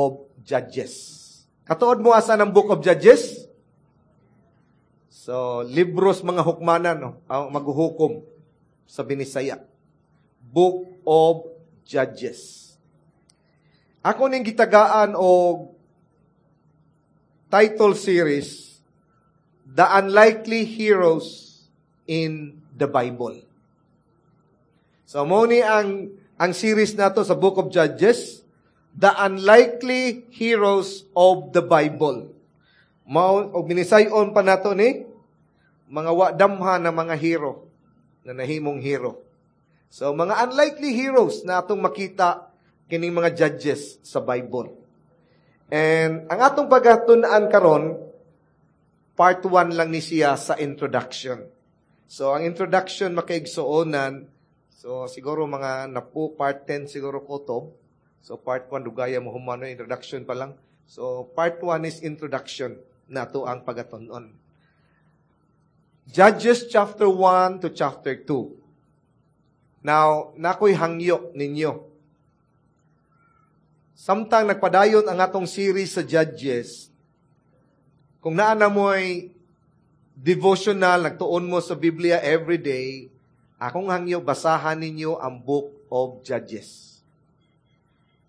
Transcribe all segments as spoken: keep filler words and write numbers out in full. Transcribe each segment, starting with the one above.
of Judges. Katuod mo asa ng Book of Judges? So, libros mga hukmanan, no? Ang maghuhukom sa Binisaya. Book of Judges. Ako ning gitagaan og title series, The Unlikely Heroes in the Bible. So, mao ni ang, ang series nato sa Book of Judges, The Unlikely Heroes of the Bible. Mao og minisayon pa nato ni mga wa damha na mga hero na nahimong hero. So mga unlikely heroes na atong makita kining mga judges sa Bible. And ang atong pagatun-an karon part one lang ni siya sa introduction. So ang introduction makaigsuonan so siguro mga napu part ten siguro kutob. So part one dugaya mo humano introduction pa lang. So part one is introduction nato ang pagatun-on. Judges chapter one to chapter two. Now, nakoy hangyo ninyo. Samtang nagpadayon ang atong series sa Judges, kung naa na mo'y devotional, nagtuon mo sa Biblia every day, akong hangyo, basahan ninyo ang Book of Judges.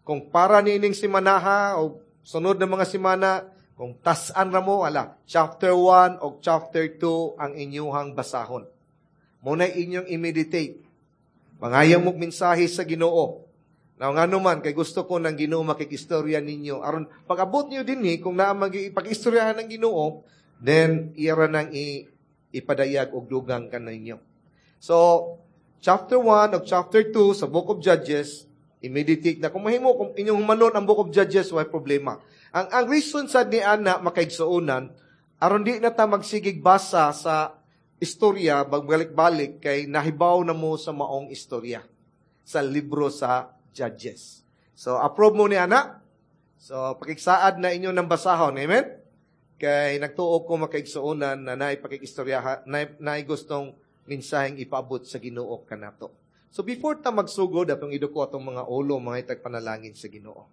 Kung para niining simanaha o sunod na mga simana, kung tas-an ra mo, ala, chapter one o chapter two ang inyuhang basahon. Muna inyong i-meditate. Mangayang mo mensahe sa Ginoo. Now, nga naman, kay gusto ko ng Ginoo makikistorya ninyo. Aron, pag-abot niyo din eh, kung naa mag-ipag-istoryahan ng Ginoo, then, ira nang i- ipadayag og dugang ka ninyo. So, chapter one o chapter two sa Book of Judges, i-meditate na. Kung mahimo, kung inyong humanon ang Book of Judges, way problema. Ang, ang reason sa ni Ana makaigsuonan, aron di na ta magsigig basa sa istorya, magbalik-balik, kay nahibaw na mo sa maong istorya, sa libro sa Judges. So, approve mo ni Ana? So, pakigsaad na inyo ng basahon. Amen? Kay nagtuo ko makaigsuonan na naay pakikistorya, naay, naay gustong mensaheng ipaabot sa Ginoo kanato. So, before ta magsugod, atong iduko atong mga ulo, mga itag panalangin sa Ginoo.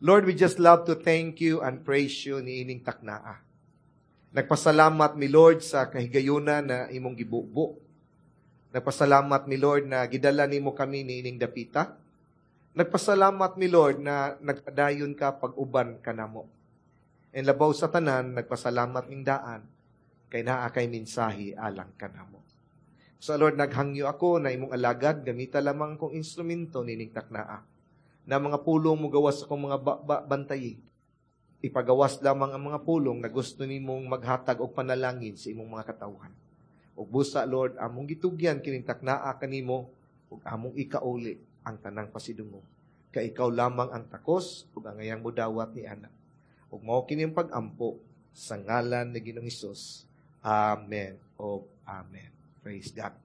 Lord, we just love to thank you and praise you niining taknaa. Nagpasalamat mi Lord sa kahigayuna na imong gibubo. Nagpasalamat mi Lord na gidala nimo kami niining dapita. Nagpasalamat mi Lord na nagpadayon ka pag-uban kanamo. And labaw sa tanan, nagpasalamat ming daan kay naa kay mensahe alang kanamo. So Lord, naghangyo ako na imong alagad, gamita lamang akong instrumento nining taknaa. Na mga pulong mo gawas akong mga ba- ba- bantayi. Ipagawas lamang ang mga pulong na gusto nimong maghatag og panalangin sa imong mga katawhan. Ug busa Lord, among gitugyan kining taknaa kanimo ug among ikauli ang tanang pasidungog. Kay ikaw lamang ang takos ug angayang modawat ni ana. Ug mao kini ang pag-ampo sa ngalan ni Ginoong Hesus. Amen. O Amen. Praise God.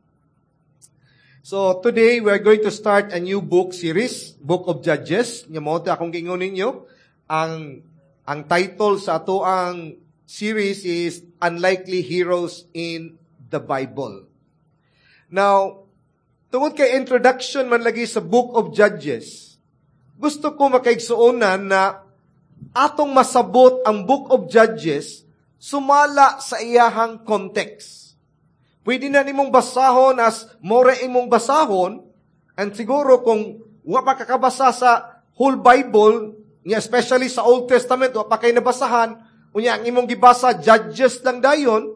So today we are going to start a new book series, Book of Judges. Nya mao akong giingon ninyo. Ang ang title sa ato ang series is Unlikely Heroes in the Bible. Now, tungod kay introduction man lagi sa Book of Judges, gusto ko makaigsuonan na atong masabot ang Book of Judges sumala sa iyahang context. Pwede na nimong basahon as more imong basahon, and siguro kung wa pa kakabasa sa whole Bible, nga especially sa Old Testament, wa pa kay nabasahan, unya ang imong gibasa, Judges lang dayon,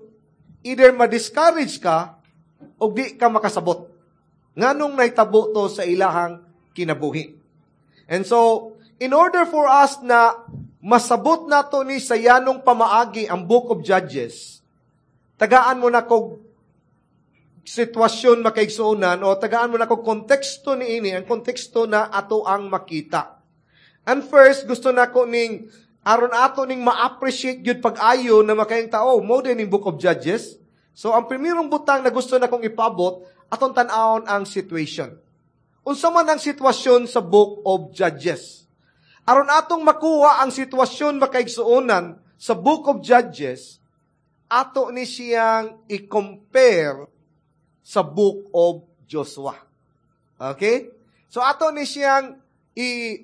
either ma-discourage ka, o di ka makasabot. Nganong nahitabo to sa ilahang kinabuhi. And so, in order for us na masabot nato ni sa yanong pamaagi ang Book of Judges, tagaan mo na kog sitwasyon makaigsuonan o tagaan mo na kog konteksto ni ini, ang konteksto na ato ang makita. And first, gusto nako ning aron ato ning ma-appreciate gyud pag-ayo na makayang tao, mo din ning Book of Judges. So, ang primerong butang na gusto na kong ipabot, atong tan-awon ang situation. Unsa man ang sitwasyon sa Book of Judges? Aron atong makuha ang sitwasyon makaigsuonan sa Book of Judges, ato ni siyang i-compare sa Book of Joshua. Okay? So ato ni siyang i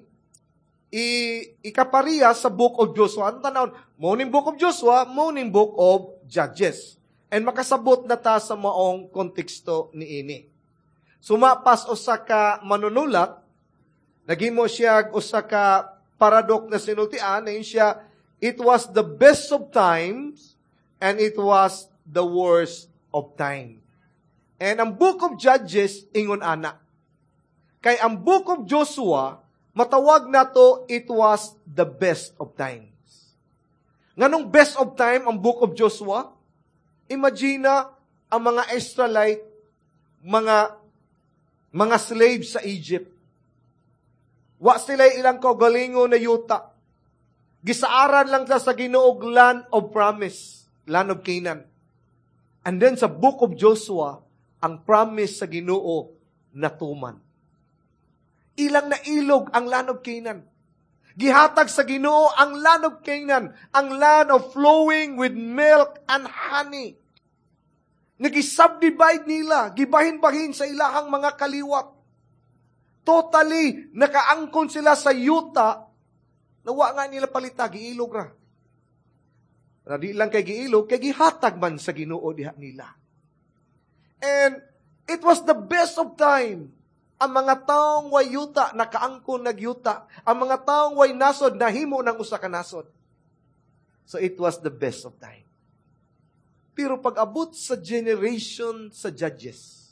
i ikapariya sa Book of Joshua. Ang tanawon, mao ning Book of Joshua, mao ning Book of Judges. And makasabot na ta sa maong konteksto niini. Sumapas usa ka manunulat, naghimo siya usa ka paradox na sinultian, na siya, "It was the best of times and it was the worst of time." And ang Book of Judges, ingon ana. Kay ang Book of Joshua, matawag nato, it was the best of times. Nganong best of time ang Book of Joshua? Imagine na ang mga Israelite, mga mga slaves sa Egypt. Wa sila ilang kaugalingon na yuta. Gisaaran lang ta sa Ginoo land of promise, land of Canaan. And then sa Book of Joshua, ang promise sa Ginoo natuman. Ilang nailog ang land of Canaan. Gihatag sa Ginoo ang land of Canaan, ang land of flowing with milk and honey. Nagi-subdivide nila, gibahin-bahin sa ilahang mga kaliwat. Totally, nakaangkon sila sa yuta, nawa nga nila palita, giilog ra. Na di lang kay giilog, kay gihatag man sa Ginoo diha nila. And it was the best of time. Ang mga taong way yuta, nakaangkon nagyuta. Ang mga taong way nasod, nahimo ng usa ka nasod. So it was the best of time. Pero pag-abot sa generation sa Judges,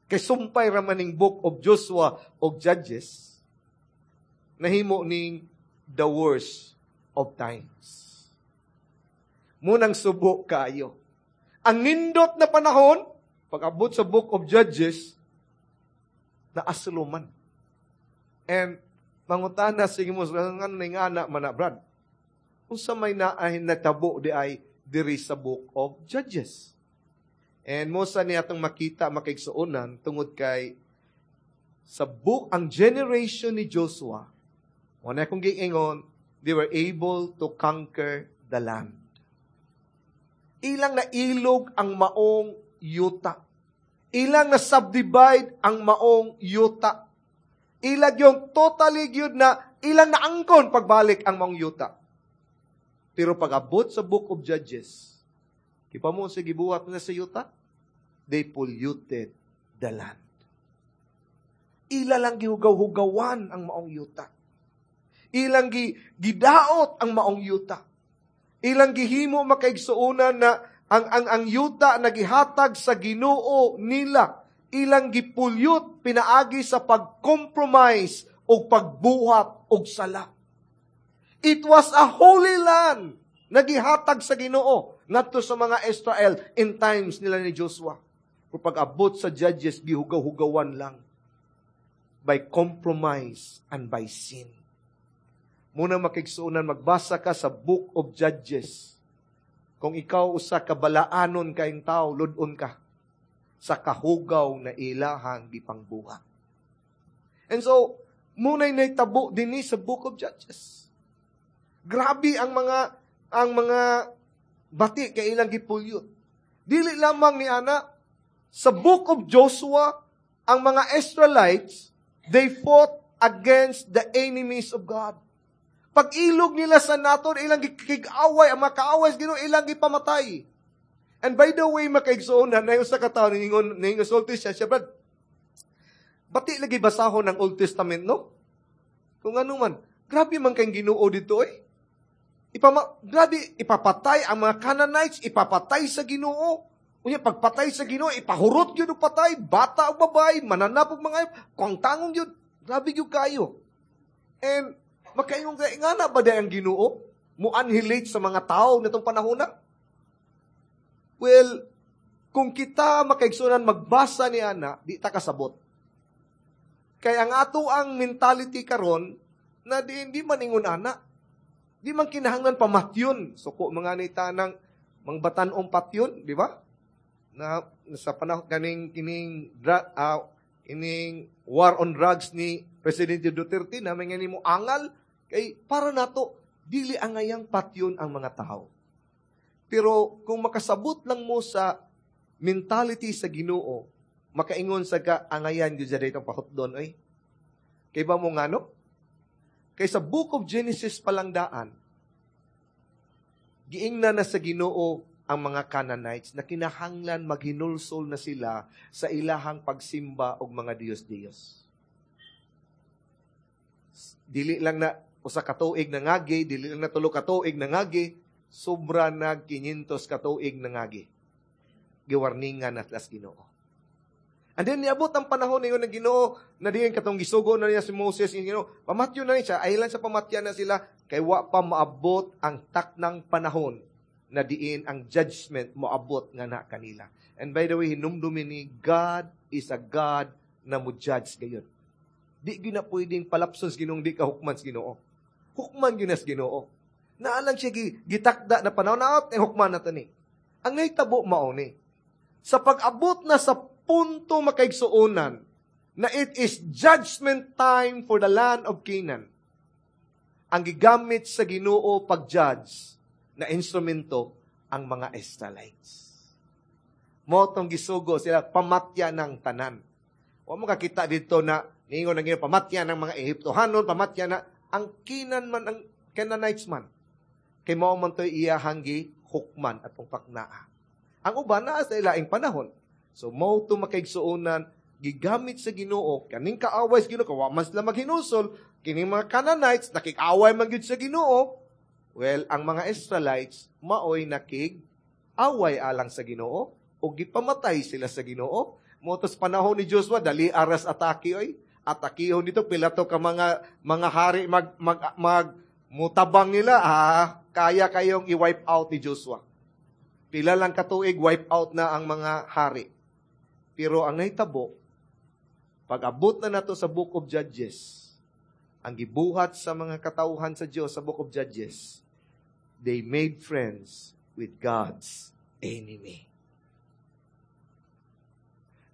kay sumpay ra man ning Book of Joshua og Judges, nahimo ning the worst of times. Munang subo kaayo. Ang nindot na panahon, pag-abot sa Book of Judges, naaslo man. And mangutana sige mo, nga nga na man na, Brad? Unsa may naay natabo di ay diri sa Book of Judges? And mo sa niya atong makita makaigsuonan tungod kay sa book ang generation ni Joshua, wala akong giingon, they were able to conquer the land. Ilang nailog ang maong yuta. Ilang na-subdivide ang maong yuta. Ilag yung totally gyud na ilang naangkon pagbalik ang maong yuta. Pero pag-abot sa Book of Judges, kipa mo sa gibuhat na sa yuta, they polluted the land. Ila lang gihugaw-hugawan ang maong yuta. Ilang gi, gidaot ang maong yuta. Ilang gihimo makaigsuonan na ang ang ang yuta na gihatag sa Ginoo nila, ilang gipollute pinaagi sa pag-compromise o pagbuhat og sala. It was a holy land na gihatag sa Ginoo ngadto sa mga Israel in times nila ni Joshua. Pero pag-abot sa Judges, gihugaw-hugawan lang by compromise and by sin. Muna makigsuonan, magbasa ka sa Book of Judges. Kung ikaw usa ka balaanon kaayong tao, lud-on ka sa kahugaw na ilahang gipangbuhat. And so, muna'y naitabo dinhi sa Book of Judges. Grabe ang mga ang mga bati kay ilang gipollute. Dili lamang ni ana, sa Book of Joshua, ang mga Israelites, they fought against the enemies of God. Pag-ilog nila sa naton, ilang gikig-away, ang mga kaaway sa Ginoo ilang gipamatay. And by the way, makaigsuonan, na sa katawo, ningon, ningon sulti siya, siya, Brad, bati lagi basahon ng Old Testament, no? Kung ano man, grabe man kayong Ginoo dito, eh. Ipama, grabe, ipapatay ang mga Canaanites, ipapatay sa Ginoo. Unya, pagpatay sa Ginoo, ipahurot yun og patay, bata o babae, mananap og mga, kung tangong yun, grabe yun kayo. And, makaingon kay nga na ba ang Ginoo? Mo annihilate sa mga tao nitong panahon na? Well, kung kita makaigsunan magbasa ni ana, di ta kasabot. Kay ang ato ang mentality karon na di hindi man ingon ana. Di man kinahanglan pamatyon. Suko mga ni tanang mangbatan-ong patyon, di ba? Na sa panahon kaning kining uh, kining war on drugs ni Presidente Duterte na may mo angal kay para nato dili angayang patyon ang mga tao. Pero kung makasabot lang mo sa mentality sa Ginoo, makaingon sa ka angayan gyud sa datong pahutdon oy. Kay ba mo ngano? Kay sa Book of Genesis pa lang daan, giingnan na sa Ginoo ang mga Canaanites na kinahanglan maghinulsol na sila sa ilahang pagsimba og mga Diyos-Diyos. Dili lang na usa ka tuig nangagi, dili lang na tulo ka tuig nangagi, sobra nag kinyentos ka tuig nangagi. Giwarningan na sa Ginoo. And then niabot ang panahon ningon ng Ginoo na diin katong gisugo na niya si Moses ng Ginoo. Pamatyo na niya siya, ahilan sa pamatya na sila kay wa pa maabot ang taknang panahon na diin ang judgment moabot nga na kanila. And by the way, hinumdumi ni God is a God na mo judge gayon. Di gyud na pwedeng palapson sa Ginoo, di ka hukman sa Ginoo. Hukman gyud na sa Ginoo. Naa lang siya gitakda na panahon na eh, hukman na ni. Ang nahitabo mao ni. Sa pag-abot na sa punto, makaigsuonan, na it is judgment time for the land of Canaan, ang gigamit sa Ginoo pag-judge na instrumento ang mga Israelites. Mao tong gisugo sila pamatya ng tanan. Wa mo kakita dito na niingon ang Ginoo pamatya ng mga Ehiptohanon, pamatya na ang Canaan man, ang Canaanites man. Kay mao man to'y iyahang hukman atong paknaa. Ang uban naa sa ilaing panahon. So mao to, makaigsuonan, gigamit sa Ginoo kaning kaaway sa Ginoo kay wa man sila maghinulsol. Kining mga Canaanites nakig-away man gyud sa Ginoo. Well, ang mga Israelites maoy nakig-away alang sa Ginoo ug gipamatay sila sa Ginoo. Mao to's panahon ni Joshua, dali aras atake oy. Atakihon dito pila to ka mga mga hari mag mag, mag mutabang nila, ah, kaya kayong i-wipe out ni Joshua. Pila lang katuig, wipe out na ang mga hari. Pero ang nahitabo, pag-abot na nato sa Book of Judges, ang gibuhat sa mga katawhan sa Diyos sa Book of Judges, they made friends with God's enemy.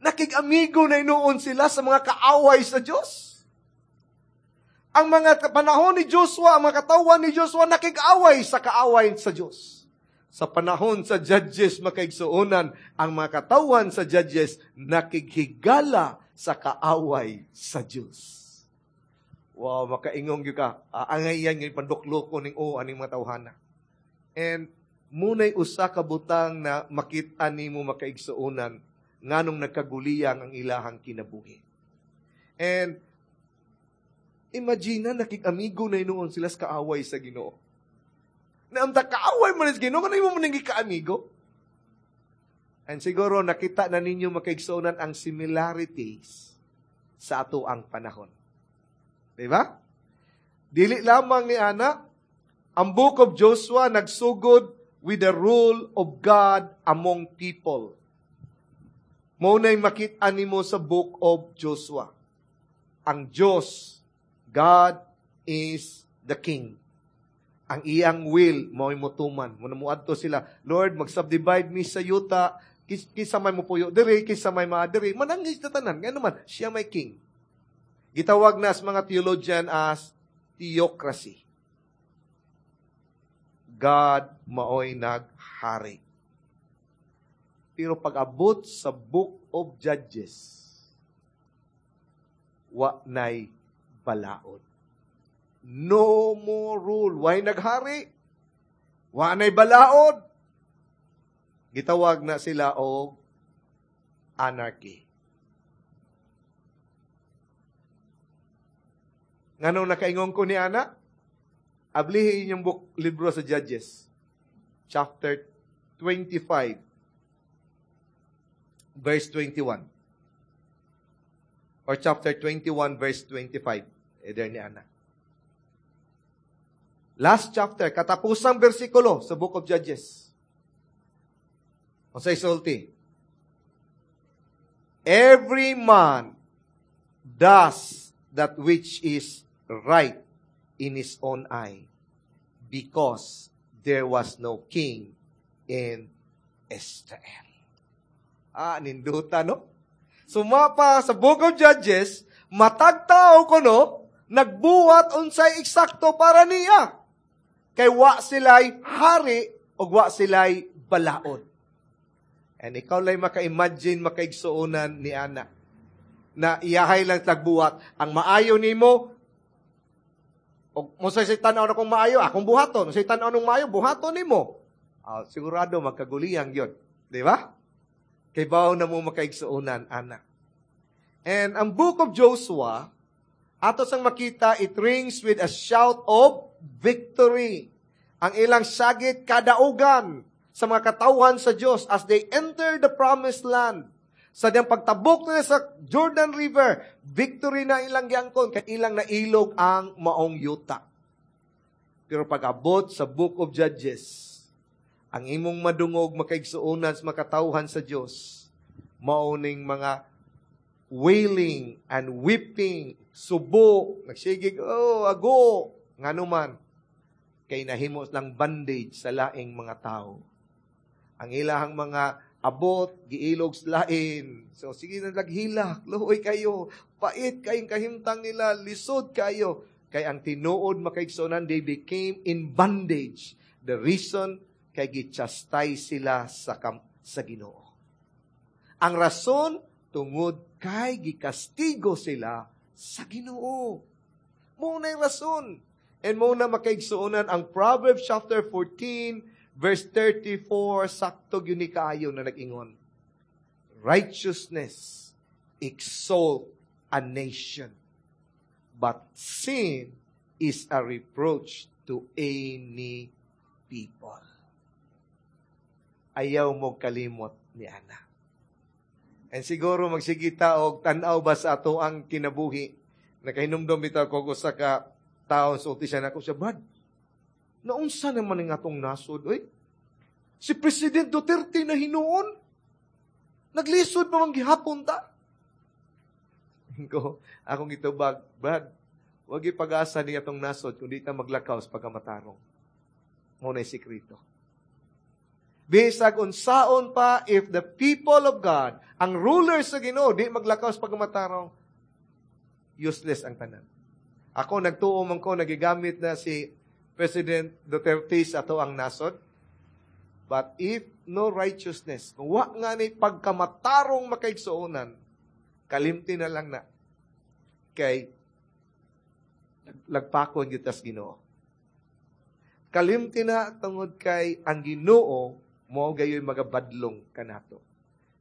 Nakig-amigo na inoon sila sa mga kaaway sa Diyos. Ang mga panahon ni Joshua, ang mga katawhan ni Joshua, nakig-away sa kaaway sa Diyos. Sa panahon sa Judges, makaigsuonan, ang mga katawhan sa Judges, nakighigala sa kaaway sa Diyos. Wow, makaingong gyud ka. Uh, angay yan yung panduklo ko ning o aning mga tawhana. And munay usa ka butang na makita nimo, makaigsuonan, nganong nagkaguliyang ang ilahang kinabuhi. And imagine na nakig-amigo na noon sila sa kaaway sa Ginoo. Na ang kaaway man sa Ginoo, kanang mo nang kaamigo. And siguro nakita na ninyo, makaigsuonan, ang similarities sa ato ang panahon. Di ba? Dili lamang ni ana, ang Book of Joshua nagsugod with the rule of God among people. Mao na'y makita nimo sa Book of Joshua. Ang Diyos, God is the King. Ang iyang will, mao motuman. Muna muadto sila, "Lord, mag-subdivide mi sa yuta, kis, kisa may mupuyo diri, kisa may mga diri." Manangis na tanan. Ngano man, siya may king. Gitawag na sa mga theologian as theocracy. God maoy naghari. Pero pag-abot sa Book of Judges, wa nay balaod. No more rule. Way naghari? Wa nay balaod. Gitawag na sila og anarchy. Nganong nakaingon ko ni ana? Ablihi inyong book, libro sa Judges. Chapter twenty-five, verse twenty-one. Or chapter twenty-one, verse twenty-five. Eh, there ni ana. Last chapter, katapusang bersikulo sa Book of Judges. Unsay sulti? "Every man does that which is right in his own eye, because there was no king in Israel." Ah, ninduta, no? Sumapa sa Book of Judges, matag tao kuno, nagbuhat unsay eksakto para niya. Kay wa sila'y hari o wa sila'y balaod. And ikaw lay maka-imagine, makaigsuonan ni ana, na iyahay lang tagbuhat. Ang maayo nimo, O mo sa tanaw na kung maayo, akong buhaton. Sa tanaw nung maayo, buhaton nimo. Ah, sigurado magkaguliyang gyud. Di ba? Kay bawo na mo makaigsuonan, ana. And ang book of Joshua, ato sang makita, it rings with a shout of victory. Ang ilang sagit kadaugan sa mga katawhan sa Dios as they enter the promised land. Sa diyang pagtabok nila sa Jordan River, victory na ilang giangkon, kay ilang nailog ang maong yuta. Pero pag-abot sa Book of Judges, ang imong madungog makaigsuonan sa makatawhan sa Dios, mauning mga wailing and weeping, subo, nagsigig, oh, ago, ngano man, kay nahimo lang bondage sa laing mga tao. Ang ilahang mga abot, giilog sa lain. So, sige na laghilak, luoy kayo, pait kayong kahimtang nila, lisod kayo. Kay ang tinuod makaigsuonan, they became in bondage. The reason, kay gichastise sila sa, kam- sa Ginoo. Ang rason, tungod kay gikastigo sila sa Ginoo. Mao na rason. And mao na makaigsuonan ang Proverbs chapter fourteen, verse thirty-four, sakto gyud ni kaayo na nag-ingon. Righteousness exalt a nation, but sin is a reproach to any people. Ayaw mo kalimot ni ana. And siguro magsigita og tan-aw ba sa ato ang kinabuhi. Nakahinumdom bitaw ko usa ka taon sulti siya nako siya, Brad, naunsa naman ang atong nasod, oy? Si President Duterte na hinuon. Naglisod pa man gihapon ta. Ko, akong gitubag, Brad, wag ipag-asa ni atong nasod kung di ta maglakaw sa pagkamatarong. Mao na sikreto. Bisag unsaon pa, if the people of God, ang rulers sa Ginoo, di maglakaw sa pagkamatarong, useless ang tanan. Ako, nagtuo man ko, nagigamit na si President Duterte sa ato ang nasod. But if no righteousness, kung wa nga ni pagkamatarong makaigsuonan, kalimti na lang na. Kay, lagpakon gyud tas Ginoo. Kalimti na tungod kay ang Ginoo mo gayoy magabadlong kanato.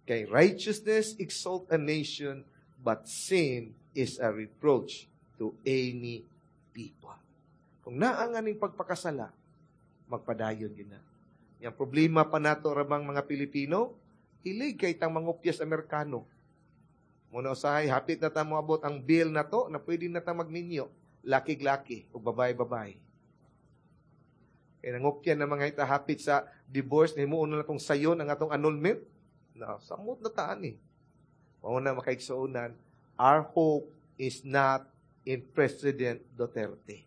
Kay righteousness exalt a nation, but sin is a reproach to any people. Kung naa nga ning pagpakasala, magpadayon gyud na. Yang problema pa nato ramang mga Pilipino, hilig kay tang mangopyas Amerikano. Muna usahay, hapit na ta moabot ang bill na to, na pwede na ta magminyo, laki-laki o babae-babae. Kaya nangopya na mga ita hapit sa divorce, himuon na natong sayon ang atong annulment. Na, samot na taan eh. Mao na makaigsuonan, our hope is not in President Duterte.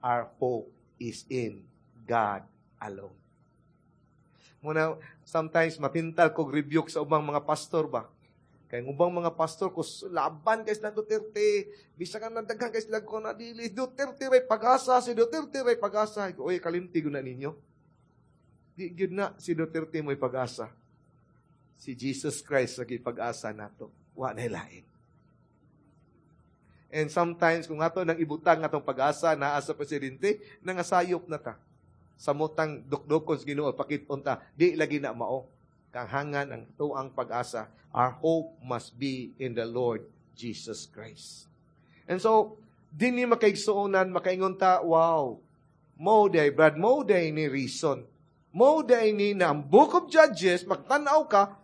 Our hope is in God alone. Muna, sometimes matintal kog rebuke sa ubang mga pastor ba? Kay ang ubang mga pastor ko laban kay sila Duterte, bisag ang nandaghan kay sila ko na dili Duterte ray pag-asa, si Duterte ray pag-asa. Oy, kalimti gud na ninyo. Di gyud na si Duterte mo'y pag-asa. Si Jesus Christ sa pag-asa nato. Wa na lain. And sometimes, kung ato nang ibutang atong pag-asa naa sa presidente, nangasayop na ta. Samotang dukdukon sa Ginoo pakit-on ta, di lagi na mao. Kanghangan ang tuang pag-asa. Our hope must be in the Lord Jesus Christ. And so, dinhi makaigsuonan, makaingon ta, wow, mo day, Brad, mo day ni reason. Mo day ni na ang Book of Judges, magtanaw ka,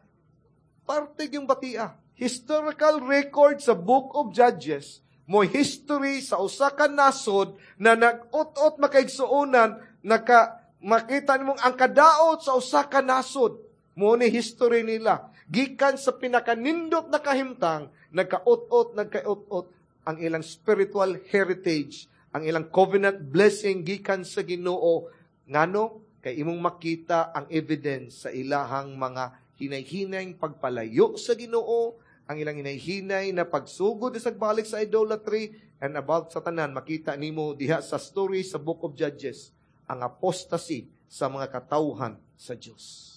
parte yung batia. Historical record sa Book of Judges, mo history sa usa ka nasod na nag-ut-ot makaigsuonan, naka, makita nimong ang kadaot sa usa ka nasod. Mo ni history nila. Gikan sa pinakanindot na kahimtang, nagka-ut-ut, nagka-ut-ut ang ilang spiritual heritage, ang ilang covenant blessing gikan sa Ginoo. Ngano? Kay imong makita ang evidence sa ilahang mga hinay-hinay pagpalayo sa Ginoo, ang ilang hinay-hinay na pagsugod sa balik sa idolatry, and about sa tanan, makita nimo diha sa story sa Book of Judges, ang apostasy sa mga katawhan sa Dios.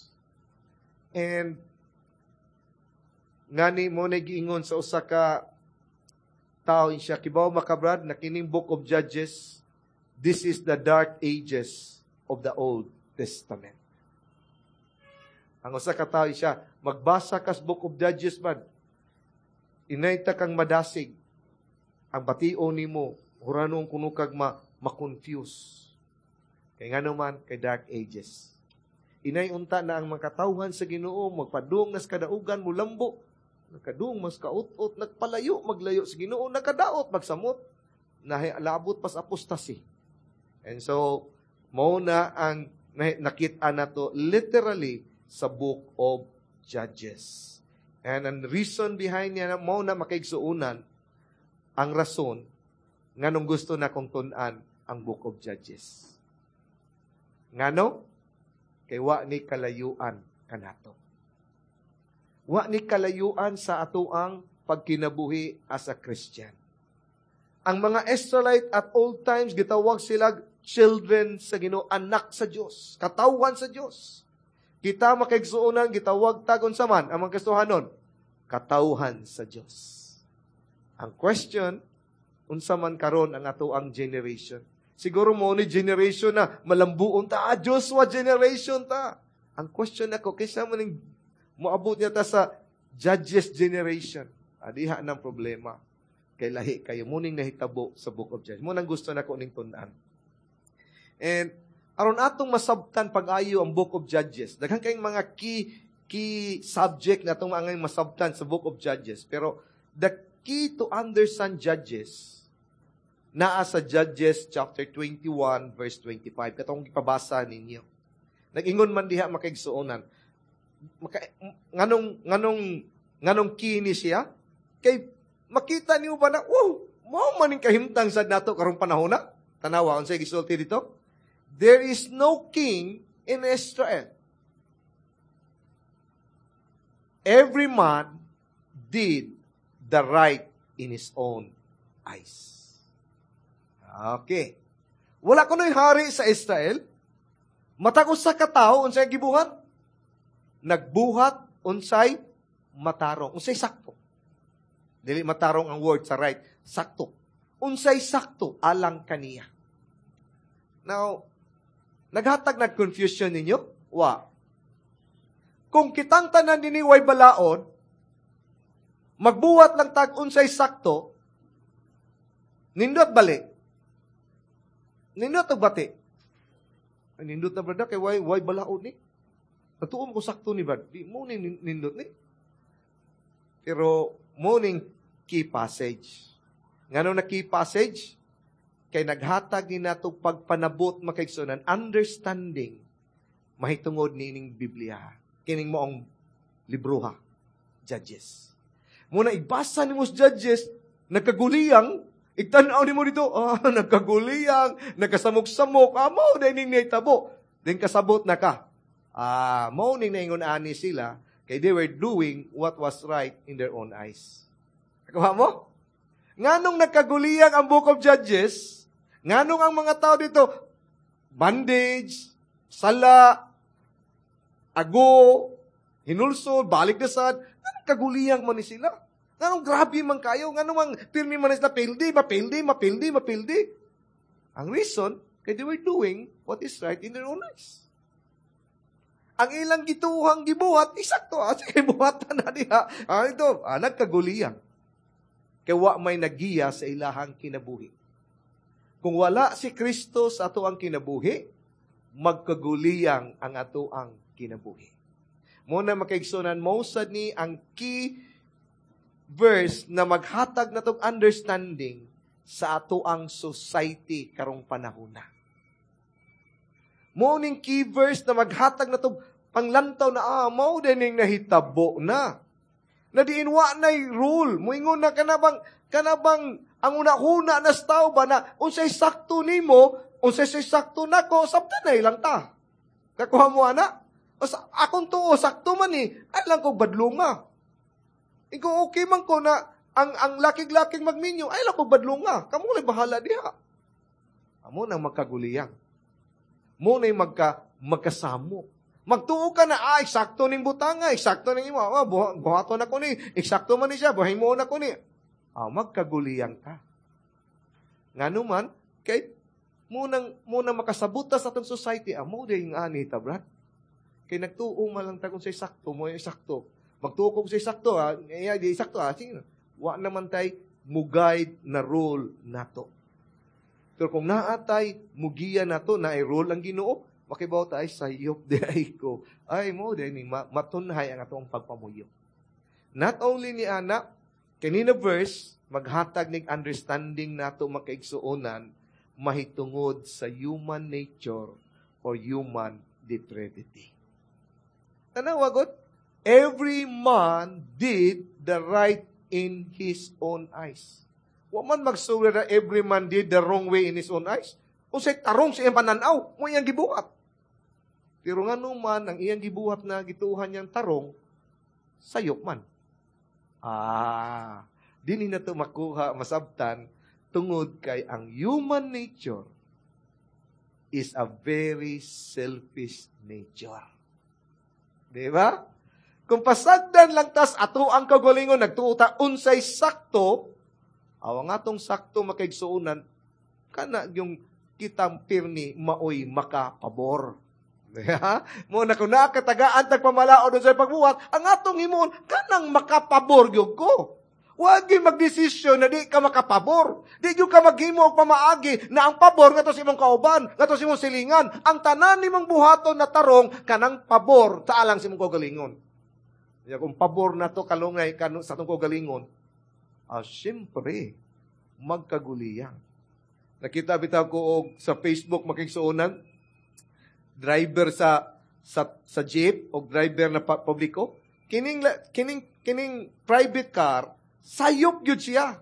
And ngani mo nagiingon sa usa ka tao siya, kibaw maka, Brad, na kining Book of Judges, this is the Dark Ages of the Old Testament. Ang usa ka tao siya, magbasa kas Book of Judges man, inayta kang madasig, ang bation nimo, huranong kuno kag ma, ma-confuse. Kay nga naman, kay Dark Ages. Inay unta na ang mga katawhan sa Ginoo, magpadung nas kadaugan, mulambo, nagkadung mas kaut-ut, nagpalayo, maglayo sa Ginoo, nagkadaot, magsamot, nalabot pas apostasy. And so, mao na ang nakita nato literally sa Book of Judges. And ang reason behind niya, mao na, makaigsuunan, ang rason nganong gusto na kong tun-an ang Book of Judges. Ngano? Kay wa ni kalayuan kanato. Wa ni kalayuan sa atoang pagkinabuhi as a Christian. Ang mga Israelite at old times, gitawag sila children sa Ginoo, anak sa Dios, katawhan sa Dios. Kita, makaigsuonan, gitawag tag unsa man ang mga Kristohanon, katawhan sa Dios. Ang question, unsa man karon ang atoang generation? Siguro mo ni generation na malambuon ta, ah, Joshua generation ta. Ang question nako, kaysa man ning moabot niya ta sa Judges generation. Adiha ng problema. Kay lahi kayo muning nahitabo sa Book of Judges. Mo nang gusto nako ning tun-an. And aron atong masabtan pag-ayo ang Book of Judges, daghan kayong mga key key subject na atong mga masabtan sa Book of Judges. Pero the key to understand Judges naa sa Judges chapter twenty-one verse twenty-five, katong gipabasa ninyo. Nag-ingon man diha, makaigsuonan. Maka, nganong nganong nganong key ni siya? Kay makita niyo ba na, wow, mao man ning kahimtang sad nato karong panahon na? Tanawa unsay gisulti dito? There is no king in Israel. Every man did the right in his own eyes. Okay. Wala kuno'y hari sa Israel. Matag usa ka tawo, unsay gibuhat? Nagbuhat unsay matarong, unsay sakto. Dili matarong ang word sa right, sakto. Unsay sakto alang kaniya. Now, naghatag nag confusion ninyo? Wa. Kung kitang tanan dinhi way balaod, magbuhat lang tag unsay sakto, nindot bali. Nindot og bati. Ay, nindot na, brother, kay way, way balaod ni. Natuom ko sakto ni, Brad. Di mo ni nindot ni. Pero mo ning key passage. Ngano na key passage? Kay naghatag ni nato pagpanabot, makaigsuonan, understanding mahitungod niining Biblia. Kining moong libroha, Judges. Muna igbasa nimo sa Judges, nagkaguliyang, igtan-aw nimo dito, ah, nagkaguliyang, nagkasamok-samok, ah, mao din ning nahitabo. Then kasabot na ka. Ah, mao ning naingon ani sila, kay they were doing what was right in their own eyes. Nakuha mo? Nganong nagkaguliyang ang Book of Judges? Nganong ang mga tao dito, bandage, sala, ago, hinulsol, balik na sad, nganong kaguliyang man ni sila? Nganong grabe man kayo? Nganong mang pirmi man sila pildi, mapildi, mapildi, mapildi? Ang reason, kay they were doing what is right in their own eyes. Ang ilang gituhang gibuhat, isakto, ah, sige, buhatan na diha. Ah, ito, ah, nagkaguliyang. Kay wa may nagiya sa ilahang kinabuhi. Kung wala si Kristo sa ato ang kinabuhi, magkaguliyang ang ato ang kinabuhi. Muna, makaigsunan, mo sad ni ang key verse na maghatag na tong understanding sa ato ang society karong panahon na. Mo ning key verse na maghatag na tong panglantaw na ah, mao din nahitabo na. Na diin wa na'y rule. Muingon na kanabang, kanabang ang una-una na tao ba na unsay sakto nimo, unsay say sakto nako, sabtan na ilang ta. Kakuha mo ana? O sa, akong tuo, sakto man ni, ay lang ko badlunga. Ikaw okay man ko na ang ang lakig-lakig magminyo, ay lang ko badlunga. Kamo lang bahala diha. Amo nang magkaguliyang. Mo na'y magka, magkasamo. Magtuo ka na, ah, eksakto ning butanga, eksakto ning imo, ah, buhaton ako ni, eksakto man ni siya, buhay mo na ko ni. Ah, magkaguliyang ka. Ngano man, kay munang muna makasabuta sa atong society, ah, mo yung ani ta, brad. Kay nagtuo man lang ta kung say sakto, mo yung sakto. Magtuo kung say sakto, ah, iya, di sakto, ah, sige. Wa naman tay mo guide na rule nato. Pero kung naatay mugiya nato na ay rule ang Ginoo, makibaw ta ay sayop di ay ko. Ay mo di ni matunhay ang atong pagpamuyo. Not only ni ana, kanina verse maghatag nig understanding nato makaigsuonan mahitungod sa human nature or human depravity. Tanawa god, every man did the right in his own eyes. Wa man magsuwir na every man did the wrong way in his own eyes. Unsay tarong sa iyang pananaw, mo iyang gibuhat. Pero ngano man ang iyang gibuhat na gituhan niyang tarong, sayop man. Ah, dinhi na to makuha masabtan tungod kay ang human nature is a very selfish nature. Di ba? Kung pasagdan lang tas ato ang kagalingon nagtuo ta unsay sakto, awang atong sakto makaigsuonan kana yung kitang pirmi maoy makapabor. Mo na kung nakatagaan tag pamalaod sa pagbuhat, ang atong himuon kanang makapabor gyud ko. Wag gyud magdesisyon na di ka makapabor. Di gyud ka maghimo og pamaagi na ang pabor ngadto sa imong kauban, ngadto sa imong silingan. Ang tanan nimong buhaton na tarong kanang pabor sa alang sa imong kaugalingon. Ya kung pabor na to kalungay kanu sa atong kaugalingon, ah, syempre magkaguliyang. Nakita bitaw ko og sa Facebook makigsuonan driver sa sa sa jeep o driver na publiko kining kining kining private car sayop gyud siya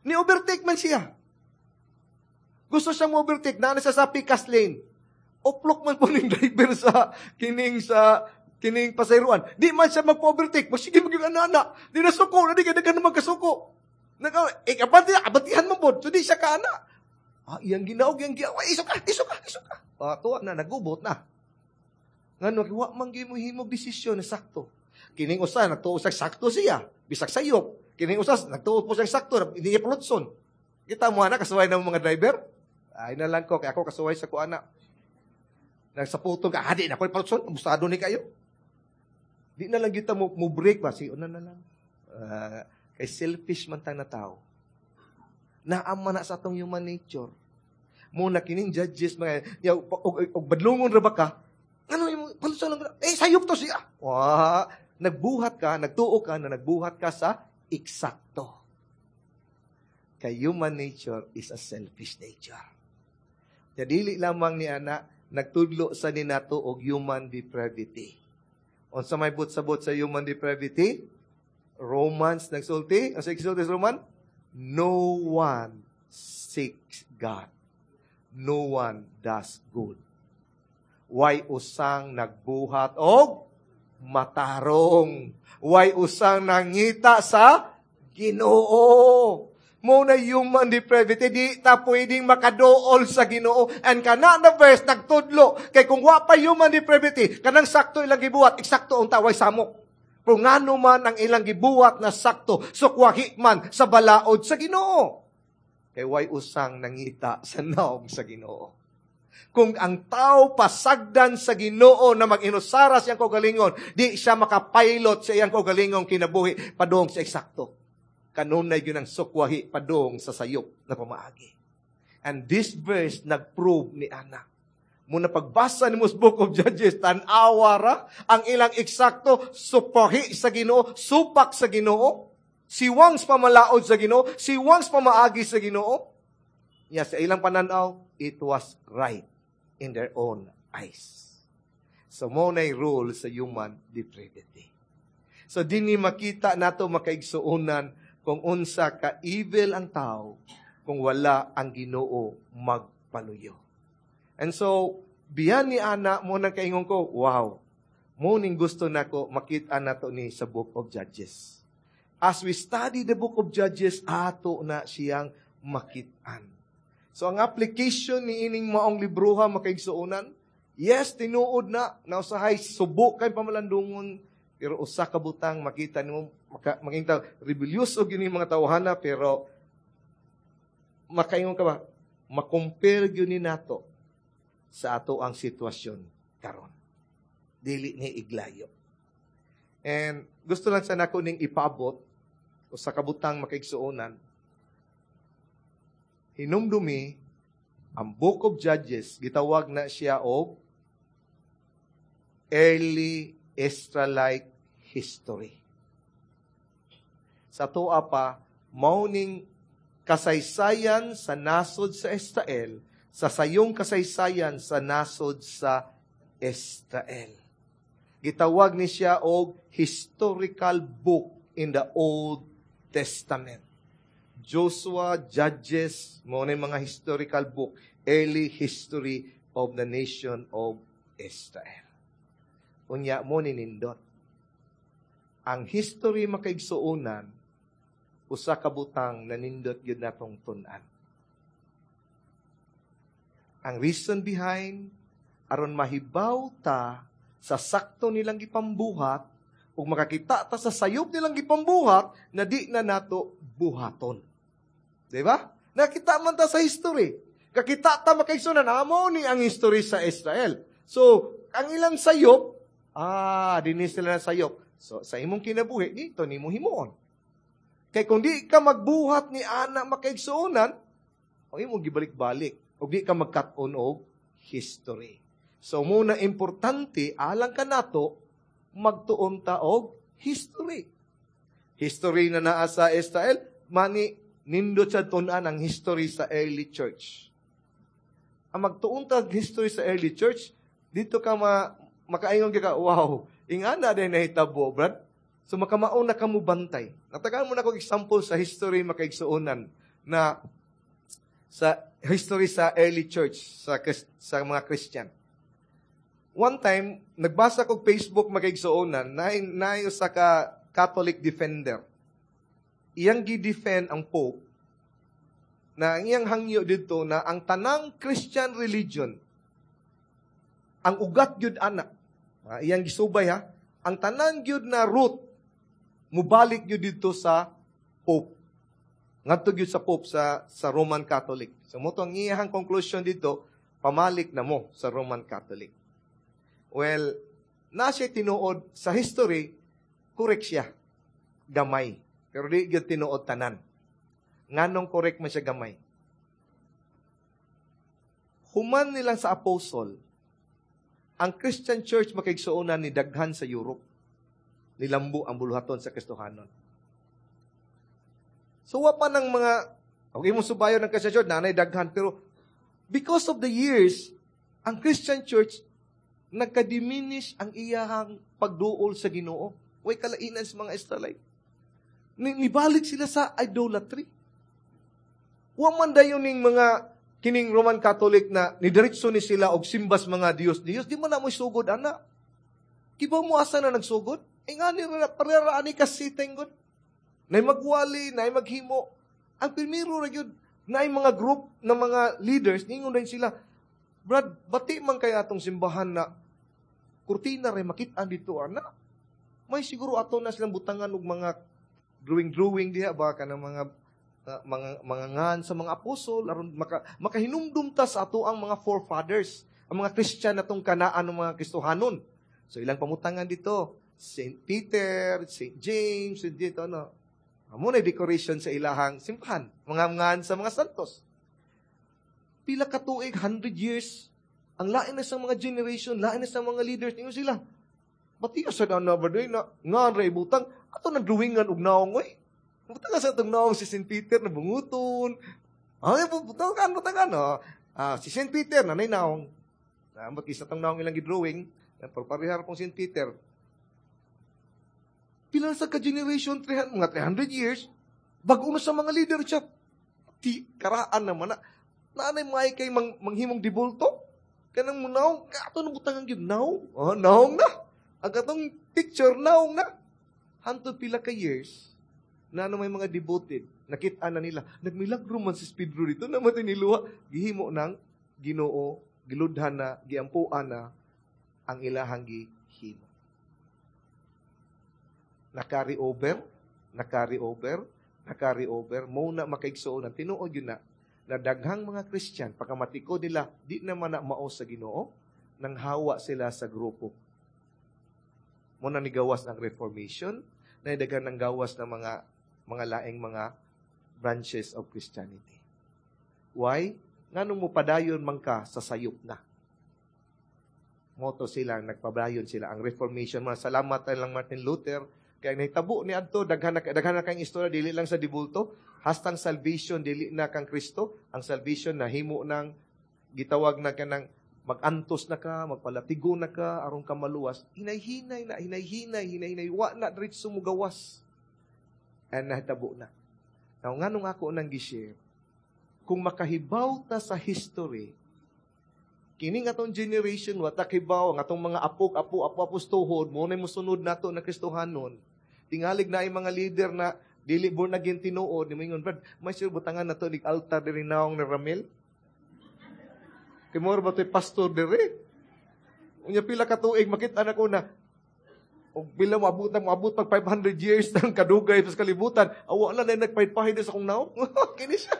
ni overtake man siya gusto siyang mo-overtake naa siya sa pikas lane uplok man po ning driver sa kining sa kining pasayroan di man siya magpa-overtake sige magyud ana di na suko na di kay daghan magkasuko Nag eh, abati, abatihan mo pod so di siya kaana ah iyang ginaog iyang giaw iso ka iso ka iso ka ah, tuwa na nagubot na ngano wa man gyud mo himog desisyon na sakto kining usa nagtuo sa sakto siya bisag sayop kining usa nagtuo po siyang sakto hindi niya palutson kita mo ana kasuway ng mga driver ay na lang ko kay ako kasuway sa kuana nagsaputong ka hadi na ko palutson abusado ni kayo di na lang kita mo, mo break ba si una na lang uh, kay selfish man tang na tao naama na sa atong human nature mo na kining judges mga ya, og, og badlungon ra ba ka ano imo palutson lang eh sayop to siya wa nagbuhat ka nagtuo ka na nagbuhat ka sa eksakto kay human nature is a selfish nature ya dili lamang ni ana nagtudlo sa ninato og human depravity unsa may but-sabot sa human depravity Romans nagsulti ang sa sulti sa Roman no one seeks God no one does good. Way usang nagbuhat og matarong. Way usang nangita sa Ginoo. Mo na human depravity, di ta pwedeng makadool sa Ginoo. And kana na verse nagtudlo kay kung wa pa human depravity, kanang sakto ilang gibuhat, eksakto unta way samok. Pero ngano man ang ilang gibuhat na sakto, sukwahi man sa balaod sa Ginoo. Kay way usang nangita sa naog sa Ginoo. Kung ang tao pasagdan sa Ginoo na mag-inusara siyang kaugalingon, di siya makapailot sa iyang kaugalingong kinabuhi padung sa eksakto. Kanunay yun ang sukwahi padung sa sayop na pamaagi. And this verse nag-prove ni Ana. Muna pagbasa ni mo Book of Judges, tan-awa ra ang ilang eksakto, supahi sa Ginoo, supak sa Ginoo, siwang sa pamalaod sa Ginoo, siwang sa pamaagi sa Ginoo. Ya sa ilang pananaw, it was right in their own eyes. So mo na rule sa human depravity. So dinhi makita nato makaigsuonan kung unsa ka evil ang tao kung wala ang Ginoo magpaluyo. And so, biyan ni ana mo nang kaingon ko, wow, mo ning gusto nako makita nato ni sa Book of Judges. As we study the Book of Judges, ato na siyang makitaan. So ang application ni ining maong libroha makaigsuonan, yes, tinuod na, nausahay subo kay pamalandungon, Pero usa ka butang makita nimo maka, makita rebellious og gyud mga tawhana, pero makaingon ka ba, makompare gyud ni nato sa ato ang sitwasyon karon. Dili ni iglayo. And gusto lang sa nako ning ipaabot usa ka butang, makaigsuonan. Hinumdumi, ang Book of Judges, gitawag na siya og early Israelite history. Sa tuwa pa, mao ning kasaysayan sa nasod sa Israel, sa sayong kasaysayan sa nasod sa Israel. Gitawag ni siya og historical book in the Old Testament. Joshua, Judges, mao ni mga historical book, early history of the nation of Israel. Unya mo ni nindot. Ang history, makaigsuonan, usa ka butang na nindot gyud natong tun-an. Ang reason behind, aron mahibaw ta sa sakto nilang gipambuhat ug makakita ta sa sayop nilang gipambuhat na di na nato buhaton. Di ba? Nakita man ta sa history. Kakita ta, makaigsuonan, amo ni ang history sa Israel. So, ang ilang sayop, ah, dinhi sila na sayop. So, sa imong kinabuhi, dito nimo himuon. Kay kung di ka magbuhat ni ana, makaigsuonan, ang imong gibalik-balik. O di ka magkat-on og history. So, muna importante, alang kanato, magtuon ta og history. History na naa sa Israel, mani nindot sa tun-an ang history sa early church. Ang magtuon ta history sa early church, dito ka ma, makaingon ka, "Wow, ingana din nahitabo, brad." So makamaon na ka mo bantay. Natagaan mo na kong example sa history, makaigsuonan, na sa history sa early church, sa, sa mga Christian. One time, nagbasa kog Facebook, makaigsuonan, na na sa ka Catholic defender. Iyang gi-defend ang Pope na ang iyang hangyo dito na ang tanang Christian religion, ang ugat gyud ana, ah, iyang gisubay ha, ang tanan gyud na root mubalik gyud dito sa Pope. Ngadto gyud sa Pope, sa sa Roman Catholic. So mo to ang iyang conclusion dito, pamalik na mo sa Roman Catholic. Well, na siya tinuod sa history, correct siya. Gamay. Pero di gyud tinuod tanan. Nganong correct man siya gamay? Human nilang sa apostle, ang Christian Church, makaigsuonan, ni daghan sa Europe. Nilambo ang buluhaton sa Kristohanon. So, wa pa ng mga, okay mo subayon ng Christian Church, nanay daghan, pero because of the years, ang Christian Church, nagka-diminish ang iyahang pagduol sa Ginoo. Way kalainan sa mga Israelite. Nibalik sila sa idolatry. Wa man dayon ning mga kining Roman Catholic na nidiretso ni sila og simbas mga Diyos Diyos, di man na mo sugod ana. Kibaw mo asa na nagsugod? Eh nga ni parera ani kasiteng gud. Nay magwali, nay maghimo. Ang primero ra gyud naay mga group ng mga leaders, ningon din sila, "Brad, bati man kay atong simbahan na kurtina ray makit-an dito ana. May siguro ato na silang butangan og mga drawing-drawing diha ba, kanang mga uh, mga mga ngan sa mga apostol aron maka, makahinumdum ta sa ato ang mga forefathers, ang mga Christian natong kanaan ng mga Kristohanon." So ilang pamutangan dito, Saint Peter, Saint James, dito ano. Amo na decoration sa ilahang simbahan, mga ngan sa mga santos. Pila ka tuig, one hundred years, ang lain na sa mga generation, lain na sa mga leaders, ningon sila, "Bati sa na ba na ngan ra ibutang, ato na drawingan og naong oy. Butang sa atong naong si Saint Peter na bunguton. Ay, butangan, butangan, no." Ah, si Saint Peter na nay naong. Ambot isa tong naong ilang gidrawing, parehar pong Saint Peter. Pila sa ka generation, three hundred, mga three hundred years, bago na sa mga leader siya. Ti, karaan naman na. Naanay may kay mang, manghimong dibulto. Kanang mo naong, ato na butangan gyud naong. Oh, naong na. Ang katong picture, naong na. Hantod pila ka years, na ano may mga devoted, nakita na nila, nagmilagro man si Pedro dito, naman niluha, gihimo ng Ginoo, giludhan na, giampuan na, ang ilahang gihimo. Na-carry over, na-carry over, na-carry over, mo na makaigsuonan. Tinuod yun na, na daghang mga Christian, pagkamatikod nila, di naman na mao sa Ginoo, nang hawa sila sa grupo. Mo na nigawas ang Reformation, na daghan ng gawas ng mga mga laing mga branches of Christianity. Why? Nganong mo padayon man ka sa sayop na. Moto sila, nagpadayon sila. Ang Reformation, mga salamat lang Martin Luther, kaya nahitabo ni adto daghan na daghan na kang istorya dili lang sa dibulto, hastang salvation dili na kang Kristo, ang salvation nahimo ng gitawag na kanang magantos na ka, magpalatigo na ka, aron ka maluwas, hinay-hinay na, hinay-hinay, hinay-hinay, wa na diretso mo gawas. And nahitabo na. Now, nganong ako nang gi-share, kung makahibaw ta sa history, kini nga atong generation, wa ta kibaw, ang atong mga apok, apo, apo, apos tuhod, mo na musunod nato na Kristohanon, tingalig na ay mga leader na dili born again tinuod, ni moingon, Brad, may sure butangan na to nig altar diri naong ni Ramil. Kay mura ba to'y pastor diri? Unya pila ka tuig makita na ko na og pila moabot na moabot pag five hundred years ng kadugay sa kalibutan, awa na na nagpahid-pahid sa akong naong. Kini siya.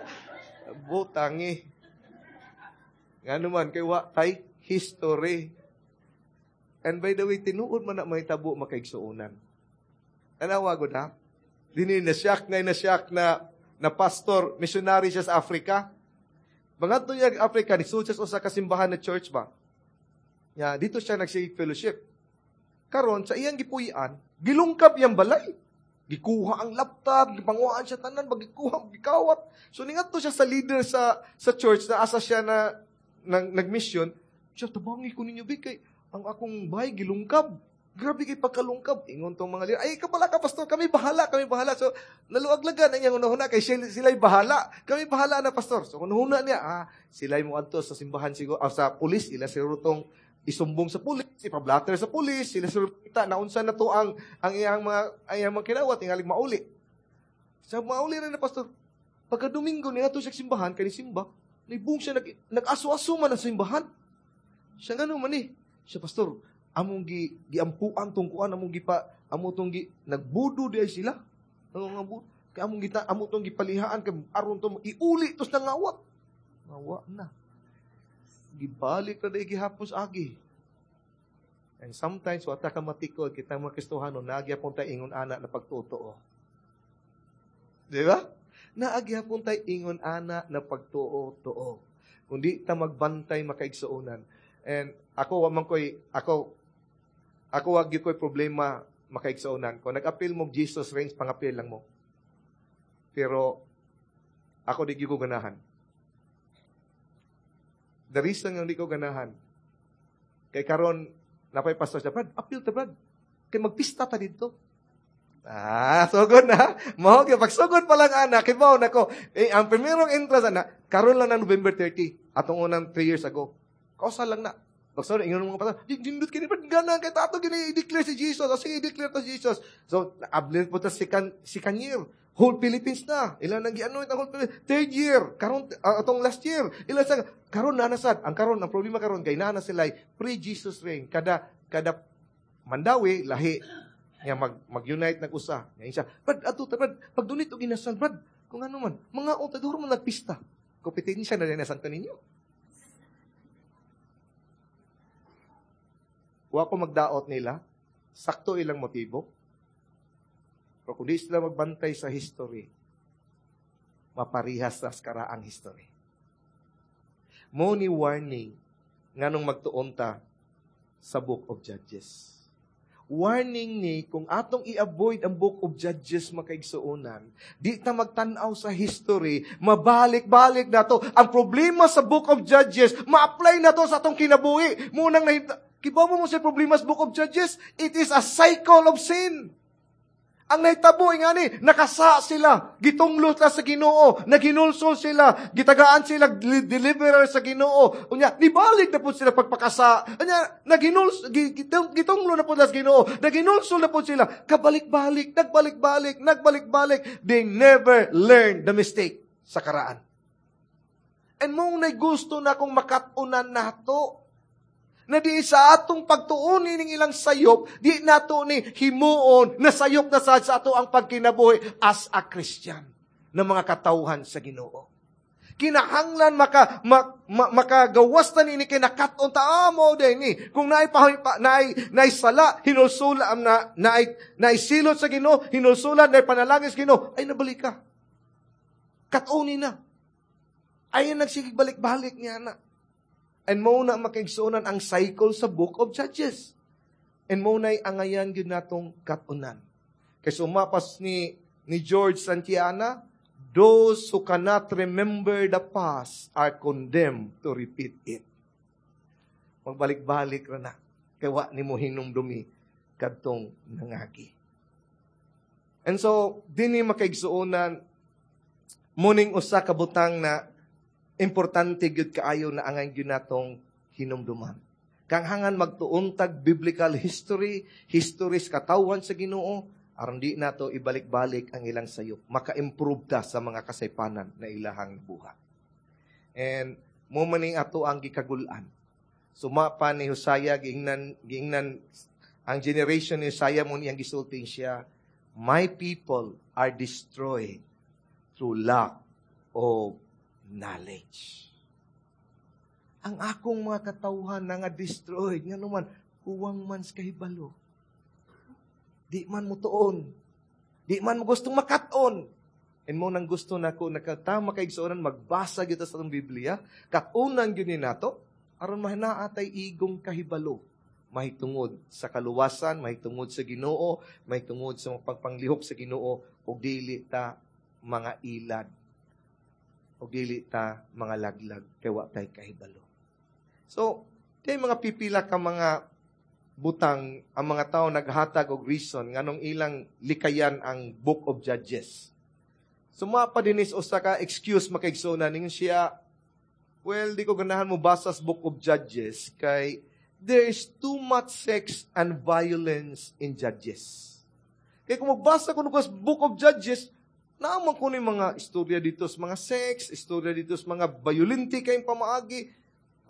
Butangi. Ngano man kay wa tay history. And by the way, tinuod man na mahitabo makaigsuonan. Tanawa gud ha. Dini na shock na na shock na na pastor, missionary siya sa Africa. Mga niya Africa, nisud siya sa usa ka simbahan na church ba? Ya, dito siya nagsige fellowship. Karon sa iyang gipuy-an, gilungkab iyang balay. Gikuha ang laptop, gipanguhaan siya tanan, bagikuha, gikawat. So ningadto siya sa leader sa sa church na asa siya na, na nagmission. Siya, tabangi ko ninyo bi kay ang akong bahay gilungkab. Grabe kay pagkalungkab. Ingon tong mga leader, ay kabala ka pastor, kami bahala, kami bahala. So naluaglagan ang iyang hunahuna kay sila, sila'y bahala. Kami bahala na pastor. So hunahuna niya, ah, sila'y moadto sa simbahan siguro, ah, sa pulis, ila siguro tong isumbong sa pulis, ipablatter sa pulis, sila siguro kita naunsa na to ang ang iyang mga ang iyang mga kinawat, tingalig mauli. Sa mauli rin na pastor. Pagka Domingo niya to siya simbahan, kay simba, nibung siya nag nag-aso-aso man ang simbahan. Siya ngano man eh. Siya pastor, among gi giampuan tong kuan, among gipa amo tong gi nagbudo di ay sila. Ano nga bu? Kay among gita amo tong gipalihaan kay aron to iuli tos nangawat. Ngawa na. Gibalik na dai gihapon sa agi. And sometimes wata ka matikod kita mga Kristohano nagyapon tay ingon ana na pagtuo. Di ba? Naagyapon tay ingon ana na pagtuo-tuo. Kung di ta magbantay makaigsuonan. And ako wa man koy ako ako wa gyud koy problema makaigsuonan. Kung nag-appeal mo Jesus Reigns, pangapil lang mo. Pero ako di gyud ko ganahan. The reason nga di ko ganahan kay karon napay pastor siya, Brad, appeal ta Brad. Kay magpista ta didto. Ah, sugod na. Mao gyud pagsugod pa lang ana, kibaw nako. Eh, ang primerong entrance ana, karon lang na November thirty, atong unang three years ago. Kausa lang na. Pastor, ingon mga pastor, di dindot kini Brad, gana kay tato gini i-declare si Jesus. O sige, i-declare to Jesus. So, abli po ta second, second year. Whole Philippines na. Ilan nang gi-anoint ang whole Philippines. Third year, karon uh, atong last year. Ilan sa karon na nasad. Ang karon ang problema karon kay naa na sila pre-Jesus reign. Kada kada Mandawi lahi nga mag mag-unite nag-usa. Ngayon siya, Brad, ato ta Brad, pagdunit og inasal Brad, kung ano man, mga unta duro man nagpista. Kompetensya na rin sa ninyo. Wa ko magdaot nila, sakto ilang motibo. Pero kung di sila magbantay sa history, maparihas sa karaang history. Mo ni warning nganong magtuon ta sa Book of Judges. Warning ni kung atong i-avoid ang Book of Judges makaigsuonan, di ta magtan-aw sa history, mabalik-balik na to. Ang problema sa Book of Judges, ma-apply na to sa atong kinabuhi. Munang nahimta, kibaw mo mo sa problema sa Book of Judges? It is a cycle of sin. Ang nahitabo ngani, nakasa sila, gitunglo sila sa Ginoo, naginulsol sila, gitagaan sila deliverer sa Ginoo. Unya, nibalik na po sila pagpakasa. Unya, naginuls, gitunglo na po sila sa Ginoo, naginulsol na po sila. Kabalik-balik, nagbalik-balik, nagbalik-balik. They never learned the mistake sa karaan. And mong nay gusto na kung makatunan nato. Na di sa atong pagtuon ning ilang sayop, di nato ni himuon na sayop na sad sa ato ang pagkinabuhi as a Christian na mga katawhan sa Ginoo. Kinahanglan maka ma, ma, makagawas ta nini kay nakat-on ta amo ah, ni kung naay pa, naay naay sala hinulsula am na naay naay silot sa Ginoo hinulsulan naay panalangin sa Ginoo ay nabalik ka. Kat-oni na. Ay nagsigig balik-balik niya na. And mo na makaigsuonan ang cycle sa Book of Judges. And mo na'y angayan gyud natong kat-unan. Kay sumapas ni ni George Santiana, those who cannot remember the past are condemned to repeat it. Magbalik-balik ra na. Kay wa nimo hinumdumi kadtong nangagi. And so, dinhi makaigsuonan, muning usa ka butang na importante gyud kaayo na angay gyud natong hinumduman. Kanghangan magtuon tag biblical history, history sa katawhan sa Ginoo, aron di nato ibalik-balik ang ilang sayop. Maka-improve ta sa mga kasaypanan na ilahang buhat. And mo man ning ato ang gikagul-an. Suma pa ni Hosea giingnan giingnan ang generation ni Hosea mo niyang gisulti siya, my people are destroyed through lack of knowledge. Ang akong mga katawhan na nga destroyed, nga naman, kuwang man sa kahibalo. Di man mo tuon. Di man mo gustong makat-on. And mo nang gusto nako nakatama kay igsuonan magbasa gyud sa atong Biblia, kat-unan gyud ni nato aron mahinaa tay igong kahibalo mahitungod sa kaluwasan, mahitungod sa Ginoo, mahitungod sa mga pagpanglihok sa Ginoo ug dili ta mga ilad ug dili ta mga laglag kay wa tay kahibalo. So, kay mga pipila ka mga butang ang mga tao naghatag og reason nganong ilang likayan ang Book of Judges. Suma pa dinis usa ka excuse makaigsoona ningon siya, well, di ko ganahan mo basa sa Book of Judges kay there is too much sex and violence in Judges. Kay kung magbasa ko sa Book of Judges, naaman ko ni mga istorya dito sa mga sex, istorya dito sa mga violente kayong pamaagi.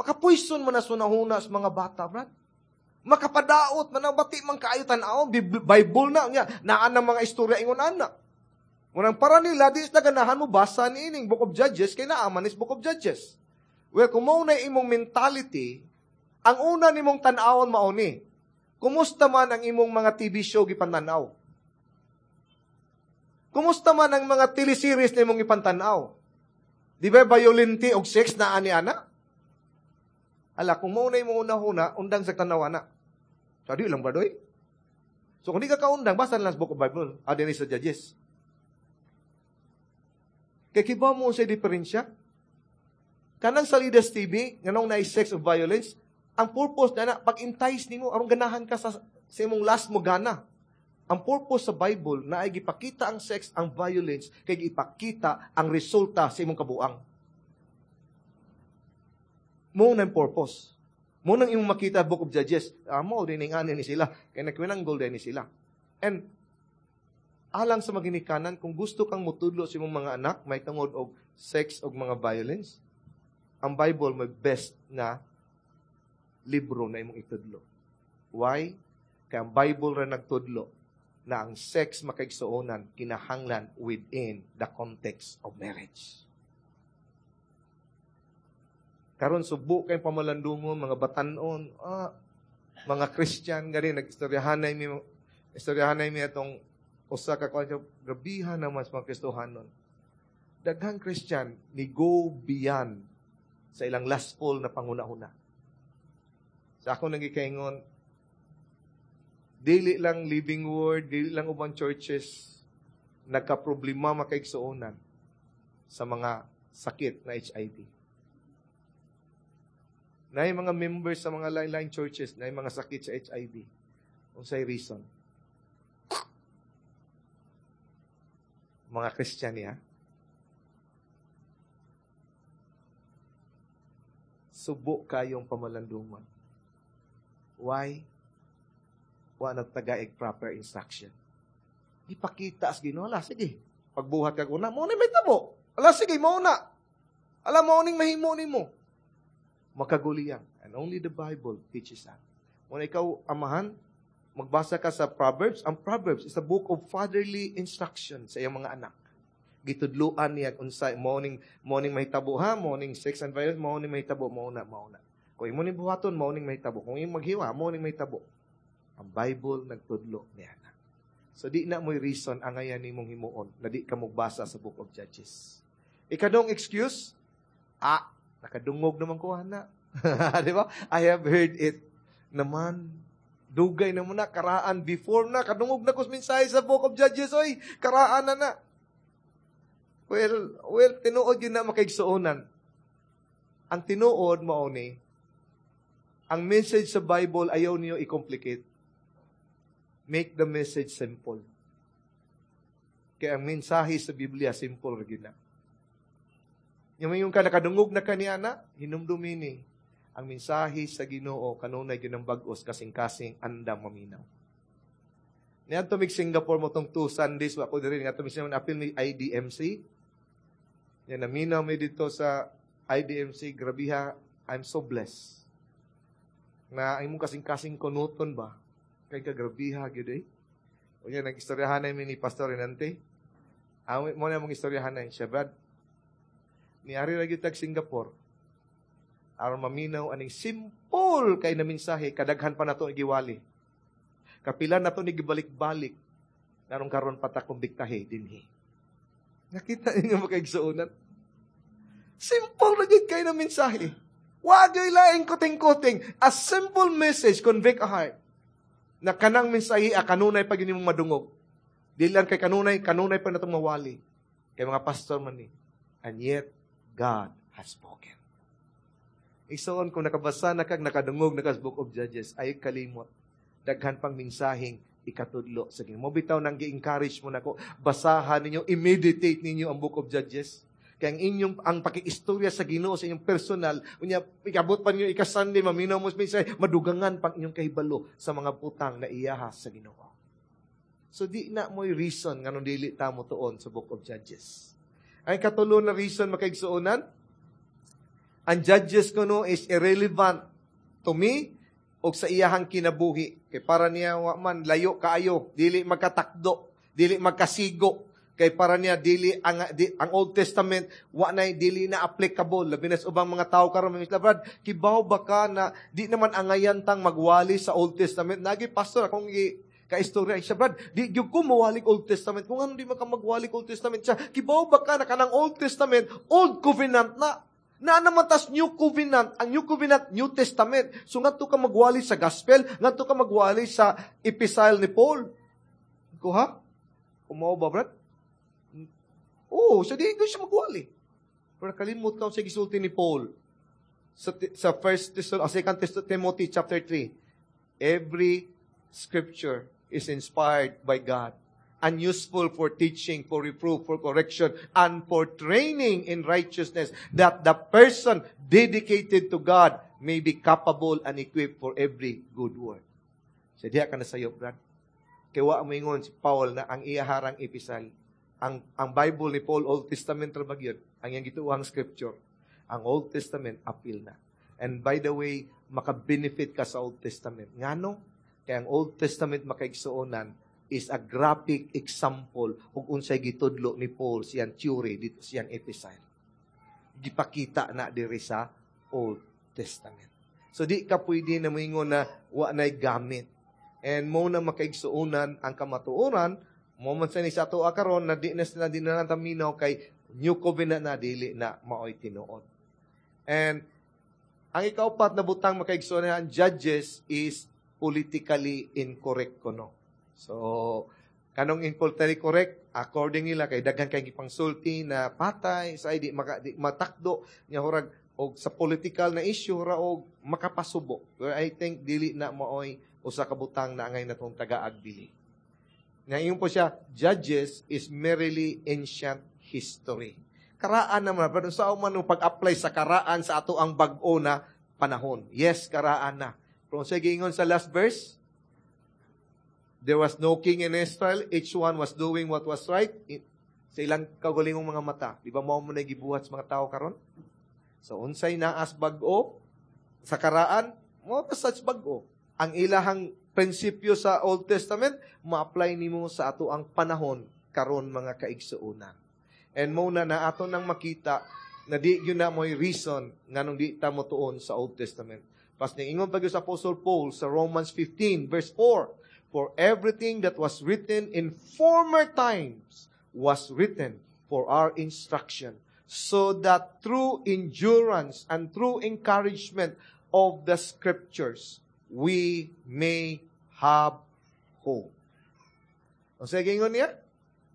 Makapoison man na sunahuna sa mga bata, brad. Makapadaot man ang bati man kaayo tan-aw, Bible na niya, naan ang mga istorya ingon ana. Munang para nila, di na ganahan mo basa ni ining Book of Judges, kay naaman is Book of Judges. Well, kung mao na imong mentality, ang una nimong tan-awon mao ni. Kumusta man ang imong mga T V show gipantanaw? Kumusta man ang mga teleseries na imong ipantanaw? Di ba violente og sex na ani ana? Ala, kung mao na imong una-una, undang sa tanaw ana. Sa di lang ba doy? So kung di ka kaundang, basta lang sa Book of Bible, ah, din sa Judges. Kay kiba mo sa diferensya? Kanang sa Leaders T V, nganong na sex of violence, ang purpose na na, pag-entice nimo, aron ganahan ka sa, sa imong last mo gana. Ang purpose sa Bible na ay gipakita ang sex, ang violence, kay gipakita ang resulta sa imong kabuang. Mo nang purpose. Mo nang imong makita Book of Judges. Ah, mo din ning ani ni sila. Kay nagkwinanggol din ni sila. And alang sa maginikanan, kung gusto kang mutudlo sa imong mga anak, may tungod og sex og mga violence, ang Bible may best na libro na imong itudlo. Why? Kay ang Bible ra nagtudlo na ang sex makaigsuonan kinahanglan within the context of marriage. Karon subo kay pamalandungon, mga batanon, ah, mga Christian gani nagstoryahanay mi istoryahanay mi atong usa ka kwan, grabihan naman sa mga Kristohanon. Daghang Christian ni go beyond sa ilang lustful na panguna-una. Sa ako nagikaingon, dili lang Living Word, dili lang ubang churches nagka-problema makaigsuonan sa mga sakit na H I V. Naay mga members sa mga line-line churches, naay mga sakit sa H I V. Unsay reason? Mga Christian niya. Subo kayong pamalandungan. Why? Wa nagtagaig proper instruction. Ipakita as Ginoo, ala, sige. Pagbuhat ka kuna, mo na may tabo. Ala, sige, mo na. Ala, mo ning mahimo nimo. Makaguliyang. And only the Bible teaches that. Kung ikaw, amahan, magbasa ka sa Proverbs, ang Proverbs is a book of fatherly instruction sa iyang mga anak. Gitudluan niya unsay morning morning mahitabo ha, morning sex and violence, morning mahitabo, mao na, mao na. Kung imo ning buhaton, mao ning mahitabo. Kung imo maghiwa, mao ning mahitabo. Ang Bible nagtudlo niya na. So di na mo'y reason angayan nimong himuon na di ka mogbasa sa Book of Judges. Ikadong excuse, ah, nakadungog naman ko ana. Di ba? I have heard it naman. Dugay na mo na, karaan before na, kadungog na ko mensahe sa Book of Judges, oy, karaan na na. Well, well, tinuod yun na makaigsuonan. Ang tinuod mao ni, ang message sa Bible ayaw niyo i-complicate. Make the message simple. Kaya ang mensahe sa Biblia, simple ra na. Yung yung ka nakadungog na kaniya na, hinumdumi ni, ang mensahe sa Ginoo kanunay ginang bag-os kasing-kasing andam maminaw. Niadto mig Singapore mo tong two Sundays wa ko diri ngadto mig Singapore apil ni IDMC. Yan naminaw mi dito sa IDMC grabiha I'm so blessed. Na imong kasing-kasing kunuton ba kay kagrabiha gyud eh. Unya nag-istoryahan mi ni Pastor Renante. Ang mo na mong istoryahan siya Brad. Niari ra gyud tag Singapore aron maminaw aning simple kay na mensahe kadaghan pa nato giwali. Kapila nato ni gibalik-balik nganong karon pa ta kumbiktahe dinhi. Nakita ninyo makaigsuonan? Simple na gyud kay na mensahe. Wa gyud laing kuting-kuting. A simple message convict a heart. Na kanang mensahe a kanunay pag mong madungog. Di lang kay kanunay, kanunay pa natong mawali. Kay mga pastor man ni. And yet, God has spoken. Igsoon, kung nakabasa na kag nakadungog na kas Book of Judges, ay kalimot. Daghan pang mensaheng ikatudlo sa Ginoo. Mo bitaw nang gi-encourage mo nako, basahan ninyo, i-meditate ninyo ang Book of Judges. Kaya ang inyong ang pakiistorya sa Ginoo sa inyong personal, unya ikabot pa ninyo ika-Sunday maminaw mo sa mensahe, madugangan pang inyong kahibalo sa mga butang na iyaha sa Ginoo. So di na mo'y reason nganong dili ta mo tuon sa Book of Judges. Ang katulo na reason makaigsuonan, ang judges kuno is irrelevant to me o sa iyahang kinabuhi. Kay para niya wa man layo kaayo, dili magkatakdo, dili magkasigo. Kay para niya dili ang di, ang Old Testament wa nay dili na applicable labi na sa ubang mga tao karon mga Brad, kibaw ba ka na di naman angayan tang magwali sa Old Testament? Nagi pastor akong gi kaistorya siya Brad, di gyud ko mawali Old Testament. Kung ano di man ka magwali Old Testament siya, kibaw ba ka na kanang Old Testament, Old Covenant na? Na naman tas New Covenant, ang New Covenant, New Testament. So ngadto ka magwali sa gospel, ngadto ka magwali sa epistle ni Paul. Ko ha? Kumaw ba, Brad? Oo, so di ko siya magwali. Pero kalimot ka sa gisulti ni Paul sa, sa first Thessal, uh, second Timothy chapter three. Every scripture is inspired by God and useful for teaching, for reproof, for correction, and for training in righteousness, that the person dedicated to God may be capable and equipped for every good work. Sa diha ka na sayo, Brad. Kaya wa moingon si Paul na ang iyaharang epistle. Ang, ang Bible ni Paul, Old Testament ra ba gyud? Ang iyang gituohang scripture. Ang Old Testament, apil na. And by the way, maka-benefit ka sa Old Testament. Ngano? Kaya ang Old Testament makaigsuonan is a graphic example ug unsay gitudlo ni Paul siyang theory dito siyang epistle. Gipakita na diri sa Old Testament. So di ka pwede na moingon na wa na'y gamit. And mo na makaigsuonan ang kamatuoran, mo man sa ni sa ato karon na di na sila di na taminaw kay New Covenant na dili na maoy tinuod. And ang ikaupat na butang makaigsuonan ang Judges is politically incorrect kuno. So, kanong politically correct, according nila kay daghan kay gipangsulti na patay sa di maka, di matakdo nya hurag og sa political na issue ra og makapasubo. Pero I think dili na maoy usa ka butang na angay natong tagaag dili. Ngayon po siya, Judges is merely ancient history. Karaan naman, pero sa man pag-apply sa karaan sa ato ang bag-o na panahon. Yes, karaan na. Pero sa giingon sa last verse, there was no king in Israel, each one was doing what was right sa ilang kagalingong mga mata. Di ba mao mo na gibuhat sa mga tao karon? So unsay naas bag-o Sa karaan, mo pa sa bag-o. Ang ilahang prinsipyo sa Old Testament, ma-apply nimo sa ato ang panahon karon mga kaigsuonan. And mo na na ato nang makita na di gyud na mo'y reason nganong di ta mo tuon sa Old Testament. Pas ingon pa sa Apostle Paul sa Romans fifteen verse four, "For everything that was written in former times was written for our instruction, so that through endurance and through encouragement of the Scriptures, we may have hope." O sige, ingon niya,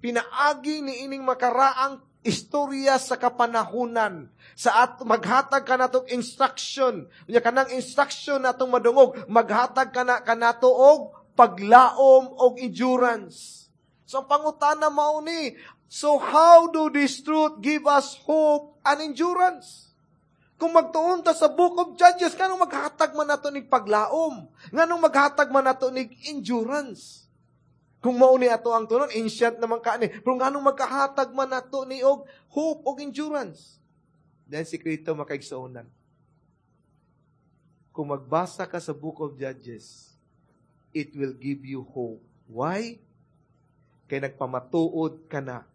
pinaagi ni ining makaraang istorya sa kapanahunan. Sa at maghatag ka natong instruction. Unya kanang instruction natong madungog, maghatag ka na kanato og paglaom og endurance. So ang pangutana mao ni, so how do this truth give us hope and endurance? Kung magtuon ta sa Book of Judges, nganong maghatag man nato nig paglaom? Nganong maghatag man nato nig endurance? Kung mao ni ato ang tunon, ancient naman ka ni. Pero nganong magkahatag man nato ni og hope og endurance? Then sikreto makaigsuonan. Kung magbasa ka sa Book of Judges, it will give you hope. Why? Kay nagpamatuod ka na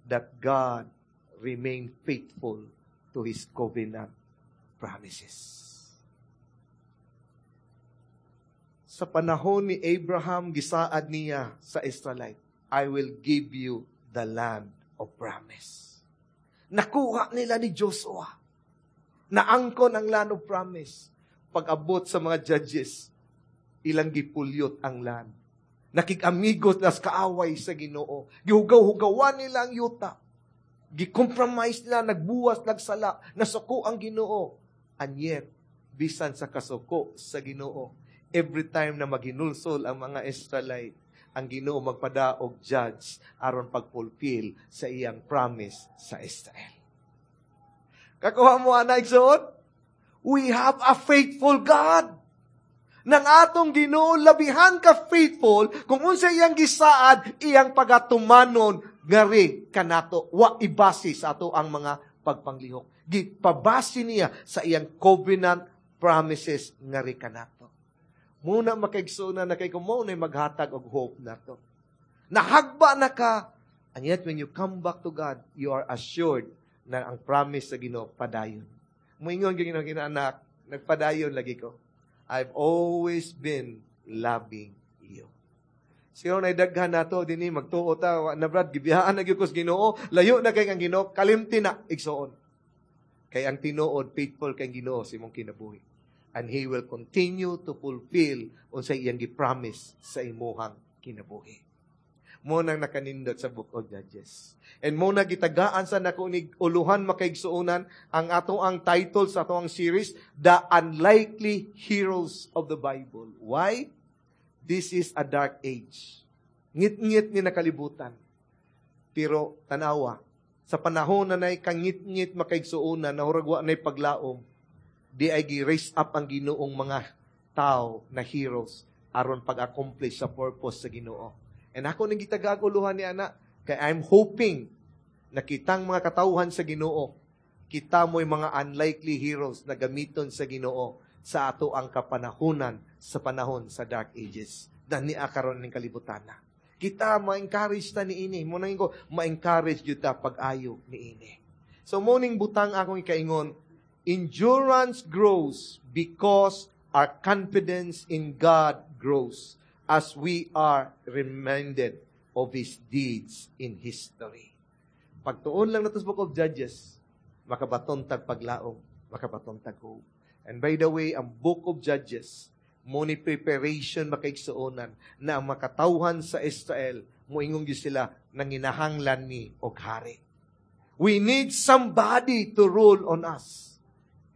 that God remain faithful to His covenant promises. Sa panahon ni Abraham, gisaad niya sa Israelite, "I will give you the land of promise." Nakuha nila ni Joshua. Naangkon ang land of promise. Pag-abot sa mga judges, ilang gipulyot ang land. Nakig-amigos las kaaway sa Ginoo. Gihugaw-hugawan nila ang yuta. Gi-compromise nila, nagbuwas, nagsala, nasuko ang Ginoo. And yet, bisan sa kasuko sa Ginoo, every time na maginulsol ang mga Israelite, ang Ginoo magpadaog judge aron pagfulfill sa iyang promise sa Israel. Kakuha mo ana igsoon? We have a faithful God. Nang atong Ginoo labihan ka faithful kung unsa iyang gisaad, iyang pagatumanon ngari kanato wa ibase sa ato ang mga pagpanglihok. Gipabase niya sa iyang covenant promises ngari kanato. Muna makaigsoon na kay kung mao na maghatag og hope nato. Nahagba na ka, and yet when you come back to God, you are assured na ang promise sa Ginoo padayon. Moingon gyud Ginoo, anak, nagpadayon lagi ko. I've always been loving you. Siguro na daghan nato dinhi magtuo ta na brad gibiyaan na gyud ko sa Ginoo, layo na kay ang Ginoo, kalimti na igsoon. Kay ang tinuod faithful kay Ginoo sa imong kinabuhi. And He will continue to fulfill unsay iyang gi-promise sa imuhang kinabuhi. Mo nang nakanindot sa Book of Judges. And mo na gitagaan sa nako ni uluhan makaigsuonan ang ato ang title sa ato ang series, The Unlikely Heroes of the Bible. Why? This is a dark age. Ngit-ngit ni nakalibutan. Pero tanawa, sa panahon na nay kangit-ngit makaigsuonan, na hurag wa nay paglaom, di ay gi-raise up ang Ginoong mga tao na heroes aron pag-accomplish sa purpose sa Ginoo. And ako ning gitagaguluhan ni ana, kay I'm hoping na kitang mga katawhan sa Ginoo, kita mo'y mga unlikely heroes na gamiton sa Ginoo sa ato ang kapanahunan sa panahon sa Dark Ages. Dani karon ning kalibutan na. Kita ma-encourage ta ni ini. Mo nang ko ma-encourage gyud ta pag-ayo ni ini. So morning butang akong ikaingon, endurance grows because our confidence in God grows as we are reminded of His deeds in history. Pagtuon lang nato sa Book of Judges, makabaton tag paglaom, makabaton tag hope. And by the way, ang Book of Judges, mo ni preparation makaigsuonan na ang makatawhan sa Israel, moingon gyud sila nanginahanglan ni og hari. We need somebody to rule on us.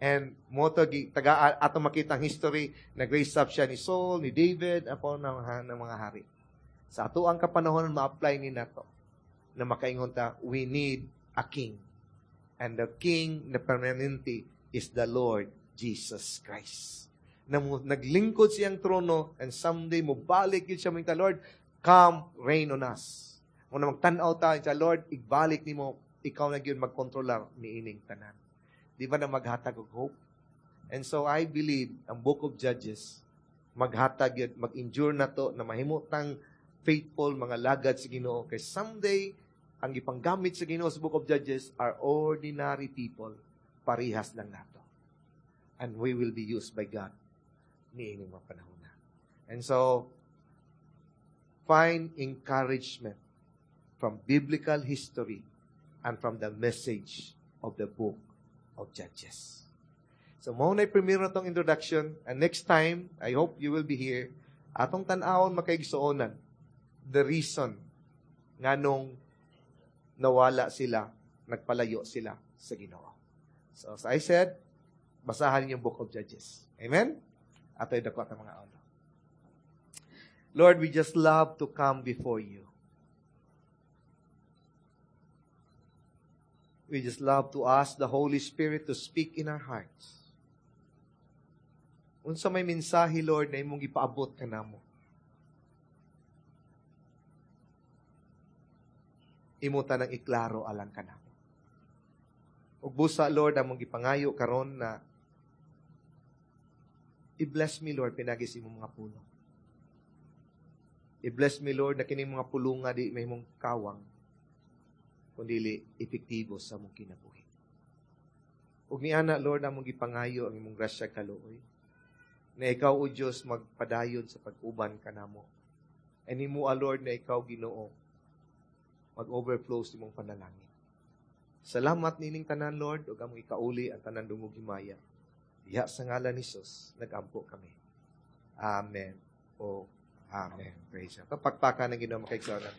And mo to taga ato makita ang history, nag-raise up siya ni Saul, ni David, apo ng, ng mga hari. Sa ato ang kapanahon ma-apply ni nato na makaingon ta, we need a king. And the king na permanente is the Lord Jesus Christ. Na mo, naglingkod siyang trono and someday mo balik yun siya mo Lord, come reign on us. Mo na magtan-aw ta sa Lord, igbalik nimo, ikaw na gyud magkontrolar ni ining tanan. Di ba na maghatag og hope? And so I believe ang Book of Judges maghatag yun, mag-endure na to na mahimutang faithful mga lagad sa Ginoo kay someday ang gipanggamit sa Ginoo sa Book of Judges are ordinary people, parihas lang nato. And we will be used by God niining mga panahon na. And so find encouragement from biblical history and from the message of the Book of Judges. So, mao na primero tong introduction. And next time, I hope you will be here. Atong tan-awon, makaigsuonan, the reason nganong nawala sila, nagpalayo sila sa Ginoo. So, as I said, basahan niyo yung Book of Judges. Amen? Ato'y dako ang mga ulo. Lord, we just love to come before you. We just love to ask the Holy Spirit to speak in our hearts. Unsa may mensahe, Lord, na imong gipaabot kanamo. Imo tanang iklaro alang kanamo. Ug busa, Lord, among gipangayo karon na i-bless me, Lord, pinagi sa imong mga pulong. I-bless me, Lord, na kining mga pulong nga di may mong kawang, kundi epektibo sa mong kinabuhi. Ug niana, Lord, among gipangayo ang imong grasya kaluoy na ikaw, O Diyos, magpadayon sa pag-uban kanamo. And himo, Lord, na ikaw, Ginoo, mag-overflow sa imong panalangin. Salamat nining tanan, Lord, ug among ikauli ang tanan dungog himaya. Diha sa ngalan ni Jesus, nagampo kami. Amen. O Amen. Praise God. Kapagpaka ng Ginoo, makaigsonan.